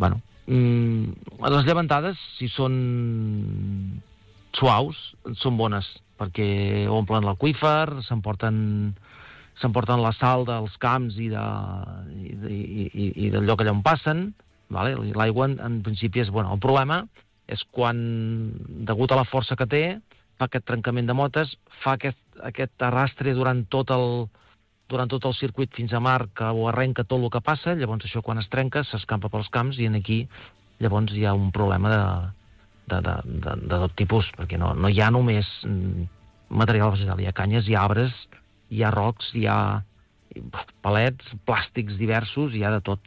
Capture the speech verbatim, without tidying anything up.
bueno, mm, les llevantades, si són suaus, són bones, perquè omplen l'aqüífer, s'emporten s'emporten la sal dels camps i, de, i, i, i, i del lloc allà on passen, vale? L'aigua en, en principi és bona. El problema és quan, degut a la força que té, fa aquest trencament de motes, fa aquest, aquest arrastre durant tot el durant tot el circuit fins a mar, que ho arrenca tot el que passa, llavors això quan es trenca s'escampa pels camps i en aquí llavors hi ha un problema de, de, de, de, de tot tipus, perquè no, no hi ha només material vegetal, hi ha canyes, hi ha arbres, hi ha rocs, hi ha palets, plàstics diversos, hi ha de tot.